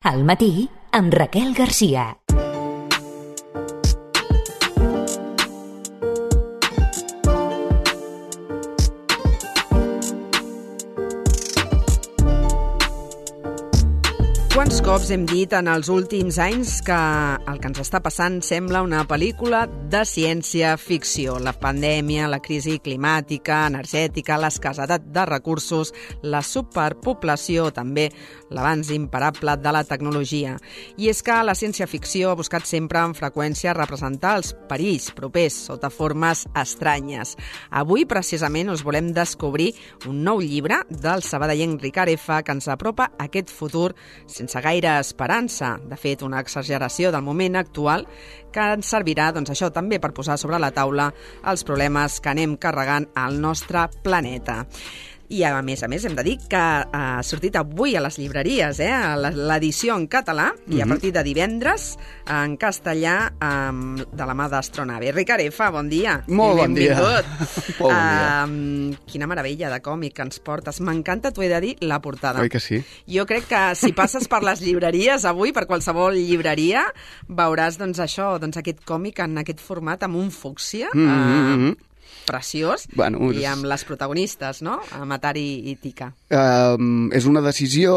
Al matí, amb Raquel Garcia. Quants cops hem dit en els últims anys que el que ens està passant sembla una pel·lícula de ciència-ficció. La pandèmia, la crisi climàtica, energètica, l'escassetat de recursos, la superpoblació, també l'avanç imparable de la tecnologia. I és que la ciència-ficció ha buscat sempre amb freqüència representar els perills propers sota formes estranyes. Avui, precisament, us volem descobrir un nou llibre del sabadellenc Ricard F. que ens apropa a aquest futur sense gaire esperança. De fet, una exageració del moment actual que ens servirà, doncs això, també per posar sobre la taula els problemes que anem carregant al nostre planeta. I, a més, hem de dir que ha sortit avui a les llibreries, l'edició en català, i a partir de divendres en castellà de la mà d'Astronave. Ricard F., bon dia. Molt bon dia. Benvingut. Bon dia. Quina meravella de còmic que ens portes. M'encanta, t'ho he de dir, la portada. Oi que sí? Jo crec que si passes per les llibreries avui, per qualsevol llibreria, veuràs aquest còmic en aquest format amb un fúcsia, preciós, i amb les protagonistes, no? Matari i Tika. És una decisió...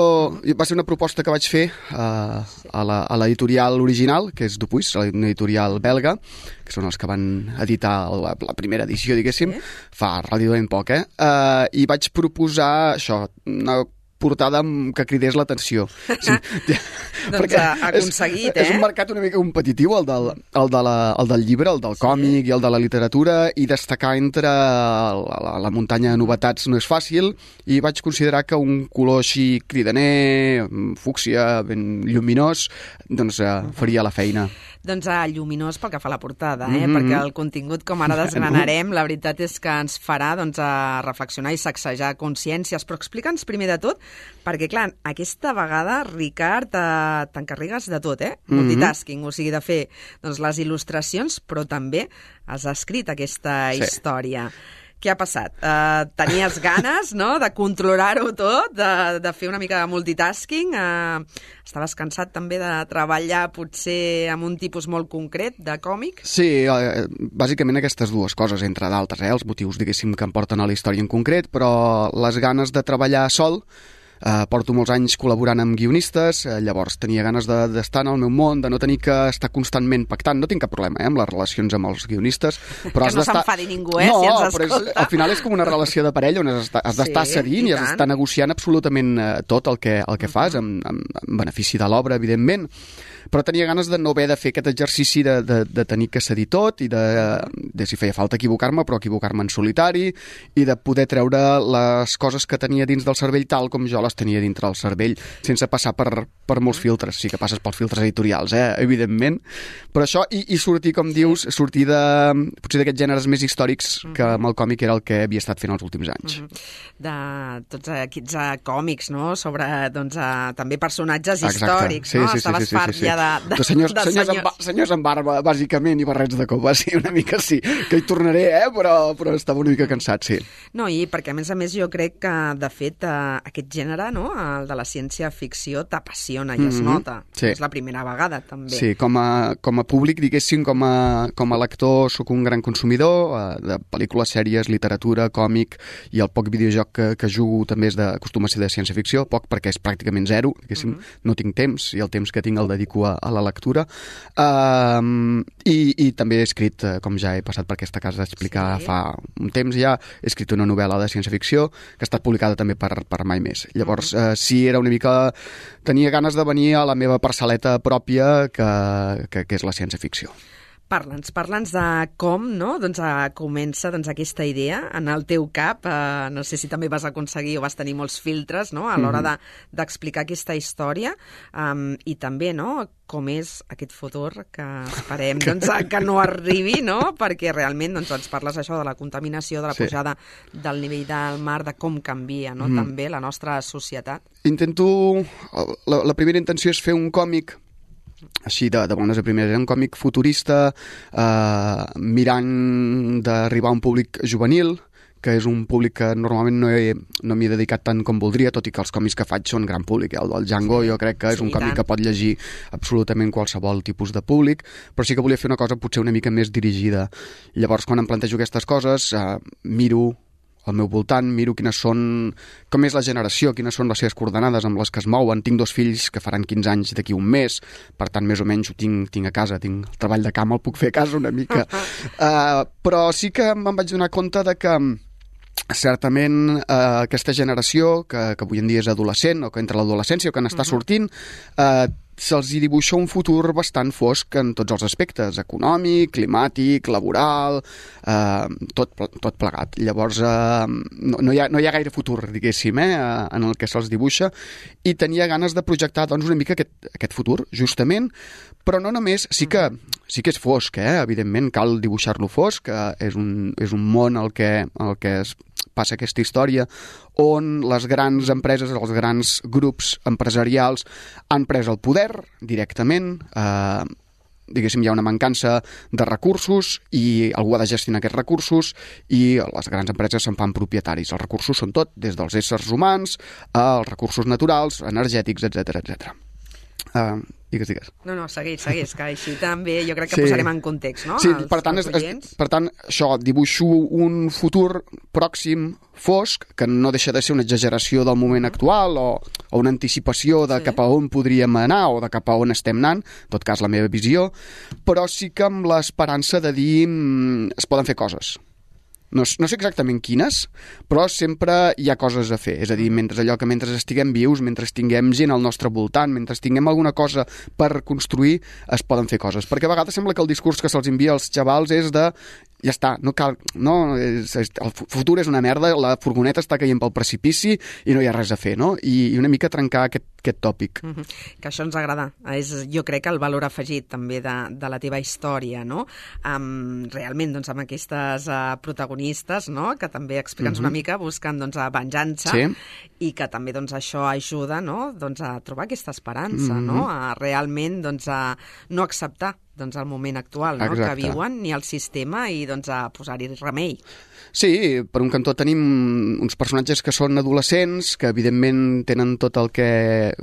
Va ser una proposta que vaig fer a l'editorial original, que és Dupuis, una editorial belga, que són els que van editar la primera edició, diguéssim, fa relativament poc, i vaig proposar això, una portada que cridés l'atenció. Sí. Doncs ha aconseguit, És un mercat una mica competitiu, el del llibre, el del còmic i el de la literatura, i destacar entre la muntanya de novetats no és fàcil, i vaig considerar que un color així cridaner, fúcsia, ben lluminós, doncs faria la feina. Doncs lluminós pel que fa a la portada, perquè el contingut, com ara desgranarem, la veritat és que ens farà reflexionar i sacsejar consciències. Però explica'ns primer de tot, perquè, clar, aquesta vegada, Ricard, t'encarregues de tot, multitasking, o sigui, de fer les il·lustracions, però també has escrit aquesta història. Què ha passat? Tenies ganes, no?, de controlar-ho tot, de fer una mica de multitasking? Estaves cansat també de treballar potser amb un tipus molt concret de còmic? Sí, bàsicament aquestes dues coses, entre d'altres, els motius, diguéssim, que em porten a la història en concret, però les ganes de treballar sol. Porto molts anys col·laborant amb guionistes, llavors tenia ganes d'estar en el meu món, de no tenir que estar constantment pactant. No tinc cap problema amb les relacions amb els guionistes, però que no s'enfadi ningú, si ens escolta. Al final és com una relació de parella on has d'estar cedint i has d'estar negociant absolutament tot el que fas, en benefici de l'obra, evidentment. Però tenia ganes de no haver de fer aquest exercici de tenir que cedir tot i de si feia falta equivocar-me, però equivocar-me en solitari, i de poder treure les coses que tenia dins del cervell tal com jo les tenia dintre del cervell, sense passar per molts filtres. Sí que passes pels filtres editorials, evidentment. Però això, i sortir, com dius, sortir potser d'aquests gèneres més històrics que amb el còmic era el que havia estat fent els últims anys. De tots aquests còmics, no?, sobre, també personatges històrics, no? Estaves fart ja de senyors amb barba, bàsicament, i barrets de copa, sí, una mica sí. Que hi tornaré, però estava una mica cansat, sí. No, i perquè, a més, jo crec que, de fet, aquest gènere, no?, el de la ciència-ficció, t'apassiona i es nota. Sí. És la primera vegada, també. Sí, com a públic, diguéssim, com a lector, sóc un gran consumidor de pel·lícules, sèries, literatura, còmic, i el poc videojoc que jugo també acostuma a ser de ciència-ficció, poc perquè és pràcticament zero, diguéssim, no tinc temps, i el temps que tinc el dedico a la lectura, i també he escrit, com ja he passat per aquesta casa d'explicar fa un temps ja, he escrit una novel·la de ciència-ficció que ha estat publicada també per Mai Més. Llavors, sí, era una mica... Tenia ganes de venir a la meva parcel·leta pròpia, que és la ciència-ficció. Parla'ns de com, no?, comença aquesta idea en el teu cap. No sé si també vas aconseguir o vas tenir molts filtres, no?, a l'hora d'explicar aquesta història, i també, no?, com és aquest futur que esperem que no arribi, no?, perquè realment ens parles això de la contaminació, de la pujada del nivell del mar, de com canvia, no?, també la nostra societat. La primera intenció és fer un còmic així de bones a primeres, un còmic futurista, mirant d'arribar a un públic juvenil, que és un públic que normalment no m'hi he dedicat tant com voldria, tot i que els còmics que faig són gran públic. El del Django jo crec que és un còmic que pot llegir absolutament qualsevol tipus de públic, però sí que volia fer una cosa potser una mica més dirigida. Llavors, quan em plantejo aquestes coses, miro al meu voltant, miro com és la generació, quines són les seves coordenades amb les que es mouen. Tinc 2 fills que faran 15 anys d'aquí un mes, per tant, més o menys ho tinc a casa, tinc el treball de camp, el puc fer a casa una mica. Però sí que me'n vaig donar compte de que certament aquesta generació, que avui en dia és adolescent, o que entra a l'adolescència, o que n'està sortint, se'ls hi dibuixa un futur bastant fosc en tots els aspectes, econòmic, climàtic, laboral, tot plegat. Llavors, no hi ha gaire futur, diguéssim, en el que se'ls dibuixa, i tenia ganes de projectar doncs, una mica aquest futur, justament, però no només, sí que és fosc, evidentment, cal dibuixar-lo fosc, és un món el que es passa aquesta història, on les grans empreses, els grans grups empresarials han pres el poder directament, diguéssim, hi ha una mancança de recursos i algú ha de gestionar aquests recursos i les grans empreses se'n fan propietaris. Els recursos són tot, des dels éssers humans als recursos naturals, energètics, etc. Digues. No, segueix, que així també jo crec que posarem en context, no? Sí, per tant, això, dibuixo un futur pròxim, fosc, que no deixa de ser una exageració del moment actual o una anticipació de cap a on podríem anar o de cap a on estem anant, en tot cas la meva visió, però sí que amb l'esperança de dir es poden fer coses. No sé exactament quines, però sempre hi ha coses a fer. És a dir, mentre estiguem vius, mentre tinguem gent al nostre voltant, mentre tinguem alguna cosa per construir, es poden fer coses. Perquè a vegades sembla que el discurs que se'ls envia als xavals és de ja està, no cal, el futur és una merda, la furgoneta està caient pel precipici i no hi ha res a fer, no? I una mica trencar aquest tòpic. Que això ens agrada. És, jo crec, el valor afegit també de la teva història, no? Realment, doncs, amb aquestes protagonistes, no?, que també explica'ns una mica, buscant, doncs, venjança, i que també, doncs, això ajuda, no?, doncs, a trobar aquesta esperança, no?, a realment, doncs, a no acceptar el moment actual, no?, que viuen, ni el sistema, i doncs a posar-hi remei. Sí, per un cantó tenim uns personatges que són adolescents, que evidentment tenen tot el que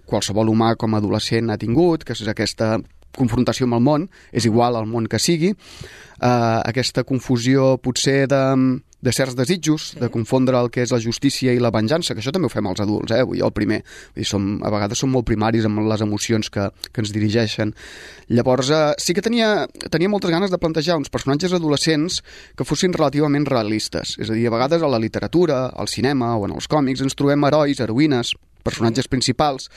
qualsevol humà com a adolescent ha tingut, que és aquesta confrontació amb el món, és igual al món que sigui, aquesta confusió potser de certs desitjos, de confondre el que és la justícia i la venjança, que això també ho fem els adults, jo el primer. A vegades som molt primaris amb les emocions que ens dirigeixen. Llavors, sí que tenia moltes ganes de plantejar uns personatges adolescents que fossin relativament realistes. És a dir, a vegades a la literatura, al cinema o en els còmics ens trobem herois, heroïnes, personatges principals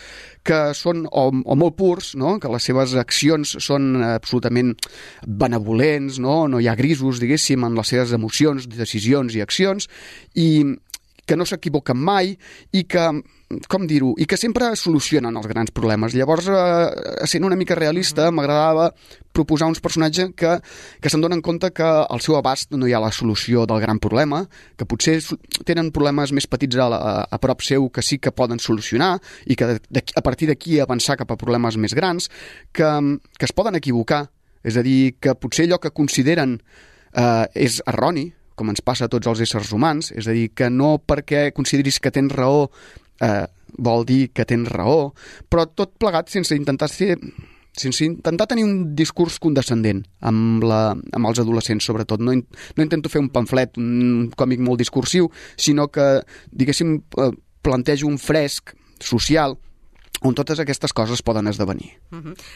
que són o molt purs, no?, que les seves accions són absolutament benevolents, no hi ha grisos, diguéssim, en les seves emocions, decisions i accions, i que no s'equivoquen mai i que, com dir-ho, i que sempre solucionen els grans problemes. Llavors, sent una mica realista, m'agradava proposar uns personatges que se'n donen compte que al seu abast no hi ha la solució del gran problema, que potser tenen problemes més petits a prop seu que sí que poden solucionar i que a partir d'aquí avançar cap a problemes més grans, que es poden equivocar. És a dir, que potser allò que consideren és erroni, com ens passa a tots els éssers humans, és a dir, que no perquè consideris que tens raó vol dir que tens raó, però tot plegat sense intentar tenir un discurs condescendent amb els adolescents, sobretot. No intento fer un pamflet, un còmic molt discursiu, sinó que, diguéssim, plantejo un fresc social on totes aquestes coses poden esdevenir.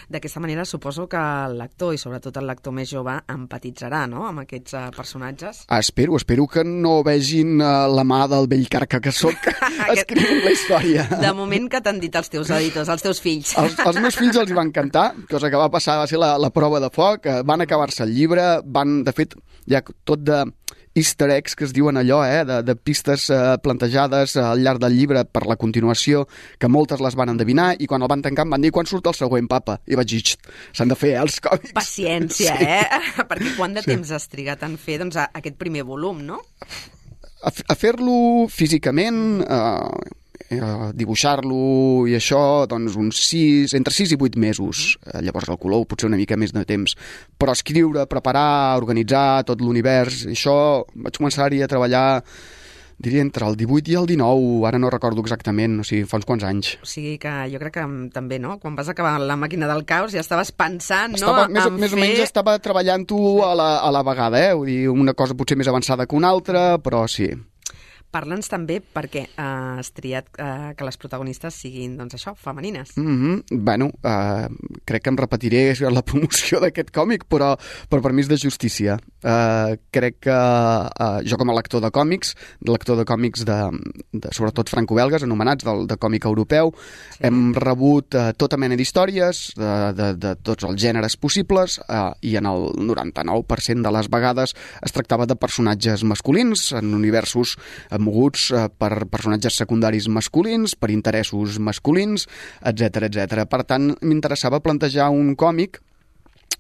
D'aquesta manera suposo que el lector, i sobretot el lector més jove, empatitzarà, no?, amb aquests personatges. Espero que no vegin la mà del vell carca que soc escrivint la història. De moment, que t'han dit els teus editors, els teus fills? Els meus fills els van encantar, cosa que va passar, va ser la prova de foc, van acabar-se el llibre, de fet, hi ha tot de easter eggs, que es diuen allò, de pistes plantejades al llarg del llibre per la continuació, que moltes les van endevinar, i quan el van tancar em van dir, quan surt el següent, papa? I vaig dir, s'han de fer els còmics. Paciència, Perquè quant de temps has trigat en fer aquest primer volum, no? A fer-lo físicament dibuixar-lo i això, doncs entre 6 i 8 mesos. Llavors el color potser una mica més de temps. Però escriure, preparar, organitzar tot l'univers, això vaig començar-hi a treballar, diria, entre el 18 i el 19, ara no recordo exactament, o sigui, fa uns quants anys. O sigui que jo crec que també, no? Quan vas acabar La màquina del caos ja estaves pensant, més o menys estava treballant-ho a la vegada, Vull dir, una cosa potser més avançada que una altra, però sí. Parla'ns també perquè has triat que les protagonistes siguin, doncs això, femenines. Bueno, crec que em repetiré la promoció d'aquest còmic, però per mi és de justícia. Crec que jo com a lector de còmics de sobretot franco-belgues, anomenats de còmic europeu, hem rebut tota mena d'històries de tots els gèneres possibles i en el 99% de les vegades es tractava de personatges masculins en universos moguts per personatges secundaris masculins, per interessos masculins, etc. Per tant, m'interessava plantejar un còmic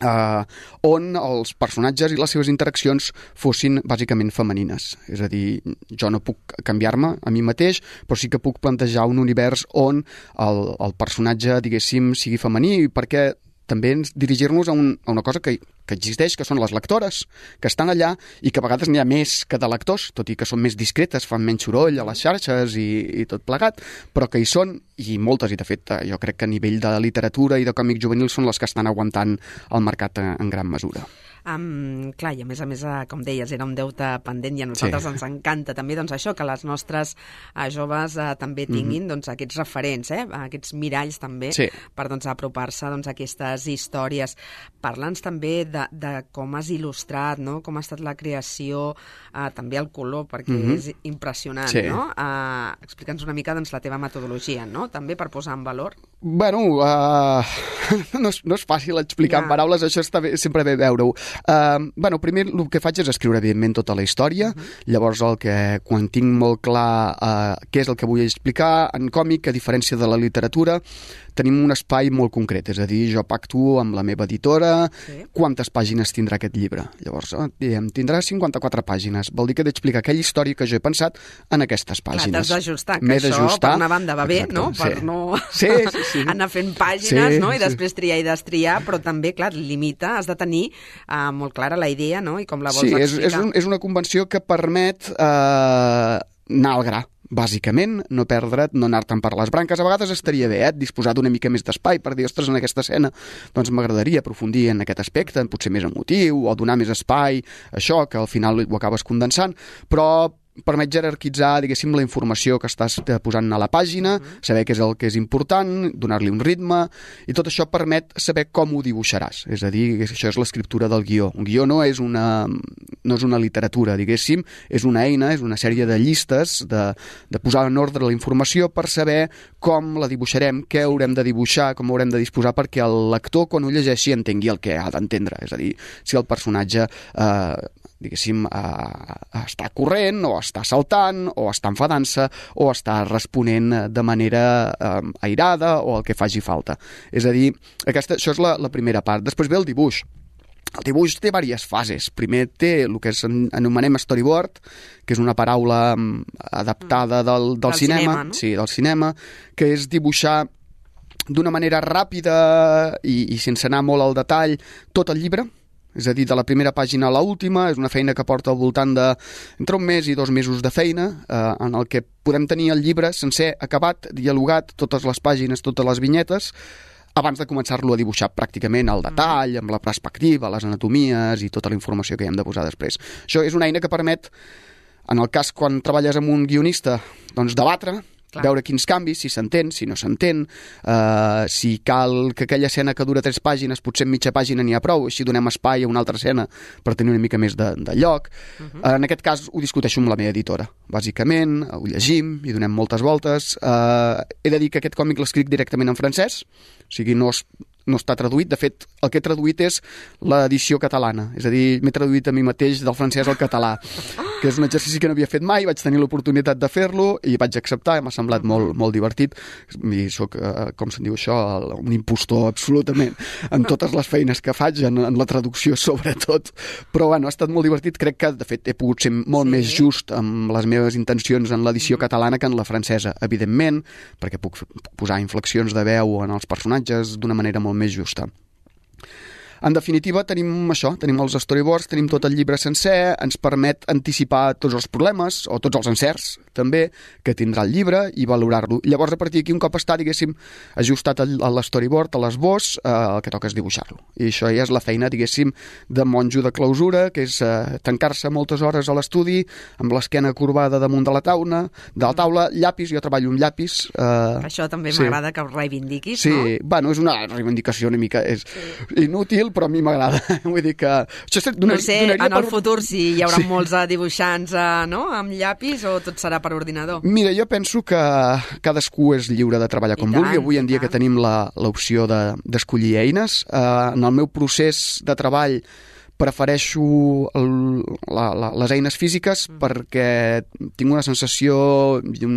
on els personatges i les seves interaccions fossin bàsicament femenines. És a dir, jo no puc canviar-me a mi mateix, però sí que puc plantejar un univers on el personatge, diguéssim, sigui femení, perquè també dirigir-nos a una cosa que existeix, que són les lectores, que estan allà i que a vegades n'hi ha més que de lectors, tot i que són més discretes, fan menys soroll a les xarxes i tot plegat, però que hi són, i moltes, i de fet jo crec que a nivell de literatura i de còmic juvenil són les que estan aguantant el mercat en gran mesura. Clar, i a més, com deies, era un deute pendent i a nosaltres ens encanta també doncs, això, que les nostres joves també tinguin doncs, aquests referents, aquests miralls també per doncs, apropar-se doncs, a aquestes històries. Parla'ns també de com has il·lustrat, no? Com ha estat la creació, també el color, perquè és impressionant, no? Explica'ns una mica doncs, la teva metodologia, no? També per posar en valor. Bueno, no és fàcil explicar en paraules, això està bé, sempre bé veure-ho. Bueno, primer el que faig és escriure evidentment tota la història, llavors quan tinc molt clar què és el que vull explicar en còmic, a diferència de la literatura, tenim un espai molt concret, és a dir, jo pacto amb la meva editora quantes pàgines tindrà aquest llibre. Llavors, tindrà 54 pàgines, vol dir que he d'explicar aquella història que jo he pensat en aquestes pàgines. Clar, t'has d'ajustar, que això per una banda va bé, no? Per no anar fent pàgines, no? I després triar i destriar, però també, clar, limita, has de tenir molt clara la idea, no? I com la vols explicar. Sí, és una convenció que permet anar al gra, bàsicament, no perdre't, no anar-te'n per les branques. A vegades estaria bé, disposar d'una mica més d'espai per dir, ostres, en aquesta escena doncs m'agradaria aprofundir en aquest aspecte, potser més emotiu, o donar més espai, això, que al final ho acabes condensant, però permet jerarquitzar, diguéssim, la informació que estàs posant a la pàgina, saber què és el que és important, donar-li un ritme, i tot això permet saber com ho dibuixaràs. És a dir, això és l'escriptura del guió. Un guió no és una literatura, diguéssim, és una eina, és una sèrie de llistes de posar en ordre la informació per saber com la dibuixarem, què haurem de dibuixar, com haurem de disposar perquè el lector, quan ho llegeixi, entengui el que ha d'entendre. És a dir, si el personatge diguéssim, està corrent, o està saltant, o està enfadant-se, o està responent de manera airada, o el que faci falta. És a dir, això és la primera part. Després ve el dibuix. El dibuix té diverses fases. Primer té el que anomenem storyboard, que és una paraula adaptada del cinema, no? Sí, del cinema, que és dibuixar d'una manera ràpida i sense anar molt al detall tot el llibre. És a dir, de la primera pàgina a l'última, és una feina que porta al voltant entre 1 mes i 2 mesos de feina, en el que podem tenir el llibre sencer acabat, dialogat, totes les pàgines, totes les vinyetes, abans de començar-lo a dibuixar pràcticament al detall, amb la perspectiva, les anatomies i tota la informació que hi hem de posar després. Això és una eina que permet, en el cas quan treballes amb un guionista, doncs debatre, veure quins canvis, si s'entén, si no s'entén, si cal que aquella escena que dura 3 pàgines, potser en mitja pàgina n'hi ha prou, així donem espai a una altra escena per tenir una mica més de lloc. En aquest cas ho discuteixo amb la meva editora, bàsicament, ho llegim i donem moltes voltes. He de dir que aquest còmic l'escric directament en francès, o sigui, no està traduït. De fet, el que he traduït és l'edició catalana, és a dir, m'he traduït a mi mateix del francès al català. que és un exercici que no havia fet mai, vaig tenir l'oportunitat de fer-lo i vaig acceptar, m'ha semblat molt divertit, i soc, com se'n diu això, un impostor absolutament en totes les feines que faig, en la traducció sobretot, però bueno, ha estat molt divertit, crec que de fet he pogut ser molt més just amb les meves intencions en l'edició catalana que en la francesa, evidentment, perquè puc posar inflexions de veu en els personatges d'una manera molt més justa. En definitiva, tenim això, tenim els storyboards, tenim tot el llibre sencer, ens permet anticipar tots els problemes, o tots els encerts, també, que tindrà el llibre, i valorar-lo. Llavors, a partir d'aquí, un cop està, diguéssim, ajustat a l'storyboard, a l'esbós, el que toca és dibuixar-lo. I això ja és la feina, diguéssim, de monjo de clausura, que és tancar-se moltes hores a l'estudi, amb l'esquena corbada damunt de la taula, llapis, jo treballo amb llapis. Això també m'agrada que ho reivindiquis, no? Sí, bueno, és una reivindicació una mica inútil, però a mi m'agrada. Vull dir que... No sé, en el futur si hi haurà molts dibuixants amb llapis o tot serà per ordinador. Mira, jo penso que cadascú és lliure de treballar com vulgui. Avui en dia que tenim l'opció d'escollir eines. En el meu procés de treball prefereixo les eines físiques perquè tinc una sensació i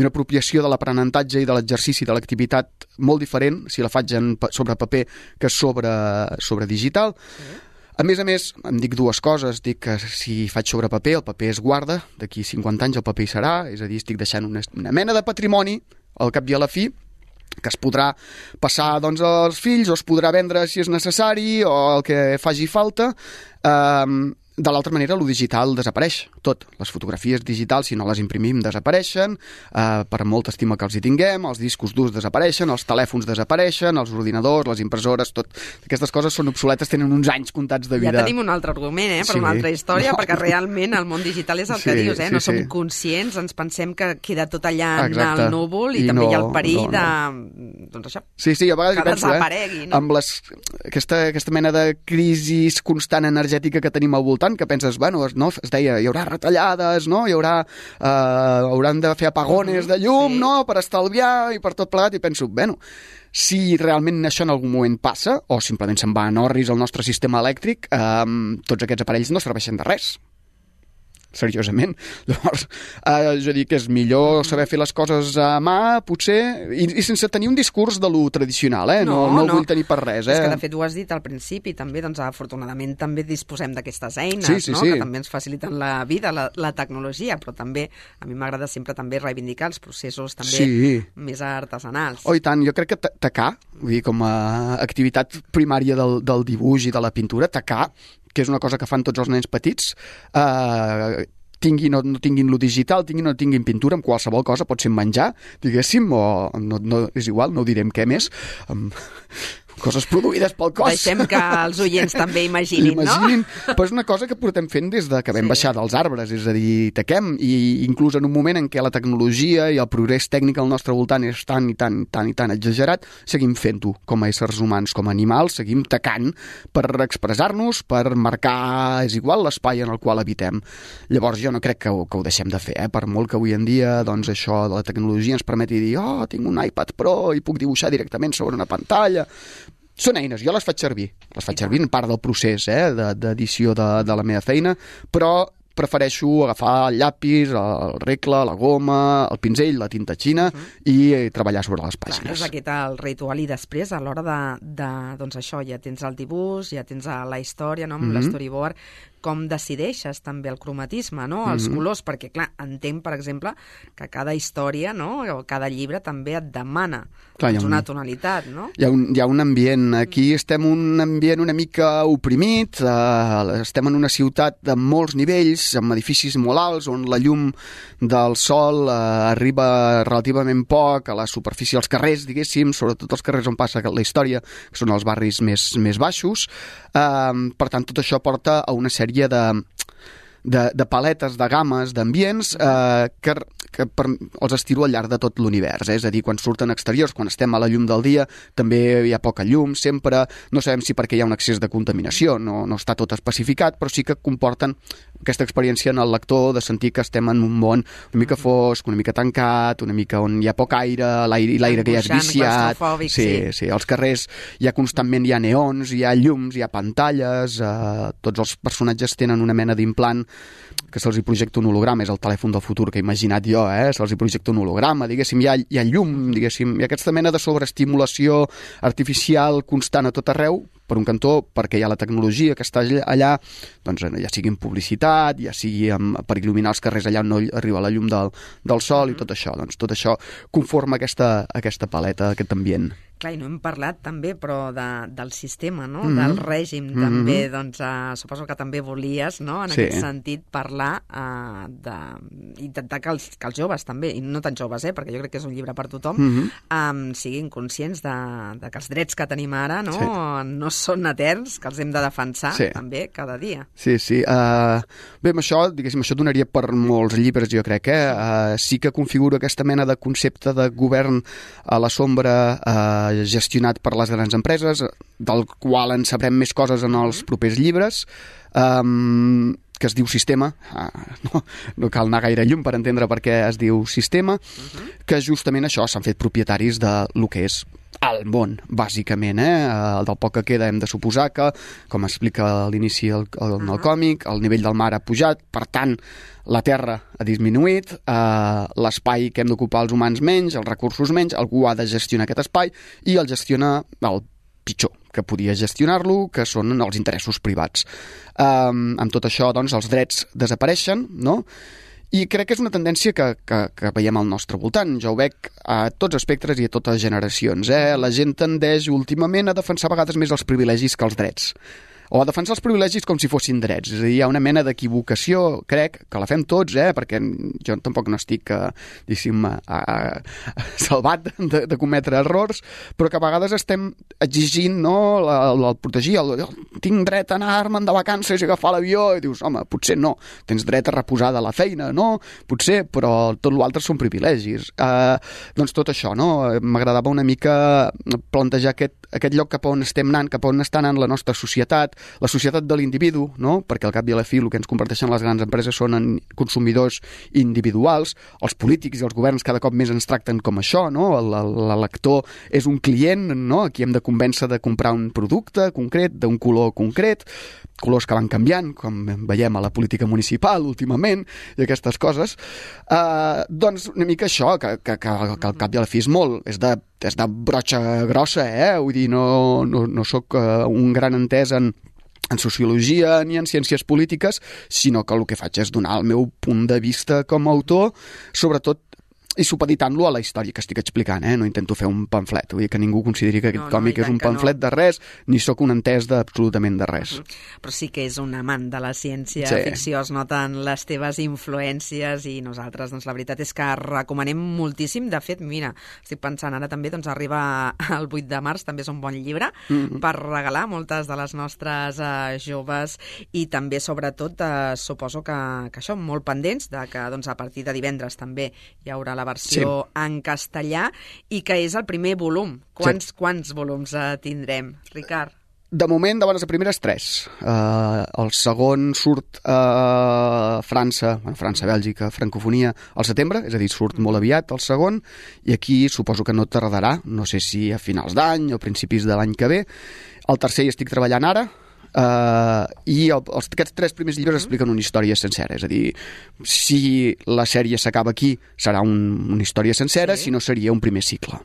una apropiació de l'aprenentatge i de l'exercici de l'activitat molt diferent si la faig sobre paper que sobre digital. A més, em dic dues coses. Dic que si faig sobre paper, el paper es guarda, d'aquí 50 anys el paper hi serà, és a dir, estic deixant una mena de patrimoni al cap i a la fi, que es podrà passar als fills o es podrà vendre si és necessari o el que faci falta. De l'altra manera, lo digital desapareix tot. Les fotografies digitals, si no les imprimim, desapareixen, per molta estima que els hi tinguem, els discos durs desapareixen, els telèfons desapareixen, els ordinadors, les impressores, tot. Aquestes coses són obsoletes, tenen uns anys comptats de vida. Ja tenim un altre argument, per una altra història, perquè realment el món digital és el que dius, no som conscients, ens pensem que queda tot allà en el núvol i també hi ha el perill de... doncs això, sí, a vegades que desaparegui. Amb aquesta mena de crisi constant energètica que tenim al voltant, que penses, es deia, hi haurà retallades, no? Hauran de fer apagones de llum, no? Per estalviar i per tot plegat, i penso, si realment això en algun moment passa, o simplement se'n va en orris el nostre sistema elèctric, tots aquests aparells no serveixen de res. Seriosament. Llavors, jo dic que és millor saber fer les coses a mà, potser, i sense tenir un discurs de lo tradicional, no el vull tenir per res. És que, de fet, ho has dit al principi, també, afortunadament, també disposem d'aquestes eines, que també ens faciliten la vida, la tecnologia, però també, a mi m'agrada sempre també reivindicar els processos també més artesanals. Oh, i tant, jo crec que tacar, vull dir, com a activitat primària del dibuix i de la pintura, tacar, que és una cosa que fan tots els nens petits, tinguin o no tinguin lo digital, tinguin o no tinguin pintura, amb qualsevol cosa, pot ser menjar, diguéssim, o no és igual, no ho direm què més, coses produïdes pel cos. Deixem que els oients també imaginin, no? Però és una cosa que portem fent des de que vam baixar dels arbres, és a dir, taquem, i inclús en un moment en què la tecnologia i el progrés tècnic al nostre voltant és tan exagerat, seguim fent-ho com a éssers humans, com a animals, seguim tacant per expressar-nos, per marcar, és igual, l'espai en el qual habitem. Llavors jo no crec que ho deixem de fer, per molt que avui en dia això de la tecnologia ens permeti dir, tinc un iPad Pro i puc dibuixar directament sobre una pantalla. Són eines, jo les faig servir en part del procés d'edició de la meva feina, però prefereixo agafar el llapis, el regle, la goma, el pinzell, la tinta xina i treballar sobre les pàgines. Clar, és aquest el ritual, i després a l'hora doncs això, ja tens el dibuix, ja tens la història, no? Amb l'storyboard, com decideixes també el cromatisme, no? Els colors, perquè clar, entenc, per exemple, que cada història, no? O cada llibre també et demana una tonalitat, no? Hi ha un ambient. Aquí estem en un ambient una mica oprimit, estem en una ciutat de molts nivells, amb edificis molt alts, on la llum del sol arriba relativament poc a la superfície dels carrers, diguéssim, sobretot els carrers on passa la història, que són els barris més baixos. Per tant, tot això porta a una sèrie de paletes, de games, d'ambients que que els estiro al llarg de tot l'univers, és a dir, quan surten exteriors, quan estem a la llum del dia, també hi ha poca llum, sempre, no sabem si perquè hi ha un excés de contaminació, no està tot especificat, però sí que comporten aquesta experiència en el lector de sentir que estem en un món una mica fosc, una mica tancat, una mica on hi ha poc aire, l'aire que ja és viciat, sí, als carrers hi ha constantment, hi ha neons, hi ha llums, hi ha pantalles, tots els personatges tenen una mena d'implant que se'ls hi projecta un holograma, és el telèfon del futur que he imaginat jo, se'ls hi projecta un holograma, diguéssim, hi ha llum, diguéssim, hi ha aquesta mena de sobreestimulació artificial constant a tot arreu, per un cantó, perquè hi ha la tecnologia que està allà, doncs ja sigui en publicitat, ja sigui per il·luminar els carrers allà on no arriba la llum del sol i tot això, doncs tot això conforma aquesta paleta, aquest ambient. Clar, i no hem parlat també, però del sistema, no? Del règim, també, doncs suposo que també volies, no?, en aquest sentit, parlar d'intentar que els joves també, i no tan joves, perquè jo crec que és un llibre per tothom, siguin conscients de que els drets que tenim ara no són eterns, que els hem de defensar també cada dia. Sí. Bé, amb això, diguéssim, això donaria per molts llibres, jo crec, sí que configura aquesta mena de concepte de govern a la sombra gestionat per les grans empreses, del qual en sabrem més coses en els propers llibres, que es diu Sistema, no cal anar gaire lluny per entendre per què es diu Sistema, que justament això s'han fet propietaris de lo que és el món, bàsicament, del poc que queda hem de suposar que, com explica a l'inici el còmic, el nivell del mar ha pujat, per tant, la Terra ha disminuït, l'espai que hem d'ocupar els humans menys, els recursos menys, algú ha de gestionar aquest espai i el gestiona el pitjor que podia gestionar-lo, que són els interessos privats. Amb tot això, doncs, els drets desapareixen, no?, i crec que és una tendència que veiem al nostre voltant. Jo ho veig a tots espectres i a totes generacions. La gent tendeix últimament a defensar a vegades més els privilegis que els drets. O a defensar els privilegis com si fossin drets. És a dir, hi ha una mena d'equivocació, crec, que la fem tots, perquè jo tampoc no estic, diguéssim, salvat de cometre errors, però que a vegades estem exigint, no?, el protegir, tinc dret a anar-me'n de vacances i agafar l'avió, i dius, home, potser no, tens dret a reposar de la feina, no? Potser, però tot l'altre són privilegis. Doncs tot això, no? M'agradava una mica plantejar aquest lloc cap on estem anant, cap on està anant la nostra societat, la societat de l'individu, no? Perquè al cap i a la fi el que ens converteixen les grans empreses són en consumidors individuals, els polítics i els governs cada cop més ens tracten com això, no? L'elector és un client, no?, a qui hem de convèncer de comprar un producte concret, d'un color concret, colors que van canviant, com veiem a la política municipal últimament, i aquestes coses. Doncs una mica això, que al cap i a la fi és molt, és de brotxa grossa, vull dir, no soc un gran entès en sociologia ni en ciències polítiques, sinó que el que faig és donar el meu punt de vista com a autor, sobretot i supeditant-lo a la història que estic explicant, no intento fer un pamflet, vull dir que ningú consideri que aquest còmic és un pamflet de res, ni sóc un entès absolutament de res. Però sí que és un amant de la ciència-ficció, es noten les teves influències i nosaltres, doncs la veritat és que recomanem moltíssim. De fet, mira, estic pensant ara també, doncs arriba el 8 de març, també és un bon llibre per regalar moltes de les nostres joves i també, sobretot, suposo que això, molt pendents de que doncs, a partir de divendres també hi haurà la versió en castellà i que és el primer volum. Quants volums tindrem, Ricard? De moment, de bones a primeres, 3. El segon surt a França, Bèlgica, francofonia, al setembre, és a dir, surt molt aviat el segon, i aquí suposo que no tardarà, no sé si a finals d'any o principis de l'any que ve. El tercer hi estic treballant ara, i aquests 3 primers llibres expliquen una història sencera, és a dir, si la sèrie s'acaba aquí serà una història sencera, si no seria un primer cicle.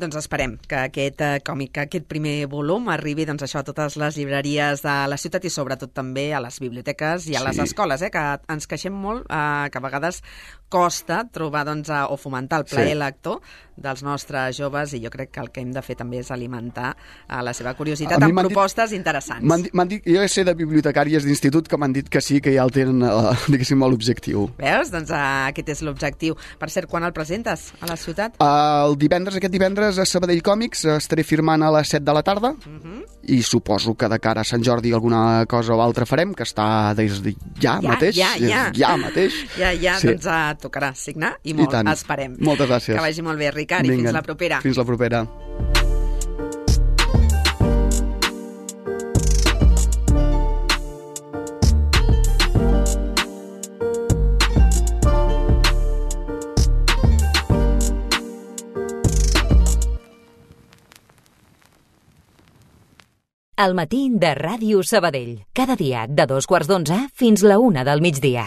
Doncs esperem que aquest còmic, que aquest primer volum arribi doncs, això a totes les llibreries de la ciutat i sobretot també a les biblioteques i a les escoles, que ens queixem molt, que a vegades costa trobar o fomentar el plaer lector dels nostres joves i jo crec que el que hem de fer també és alimentar la seva curiositat amb propostes interessants. M'han dit, jo sé de bibliotecàries d'institut que m'han dit que sí, que ja el tenen, diguéssim, l'objectiu. Veus? Doncs aquest és l'objectiu. Per cert, quan el presentes a la ciutat? Aquest divendres divendres a Sabadell Còmics estaré firmant a les 7 de la tarda i suposo que de cara a Sant Jordi alguna cosa o altra farem, que està des de ja mateix. Ja mateix. Ja, sí. Doncs tocarà signar i molt, esperem. Moltes gràcies. Que vagi molt bé, Ricard, i fins la propera. Fins la propera. El matí de Ràdio Sabadell. Cada dia de 2:15 fins la 1 del migdia.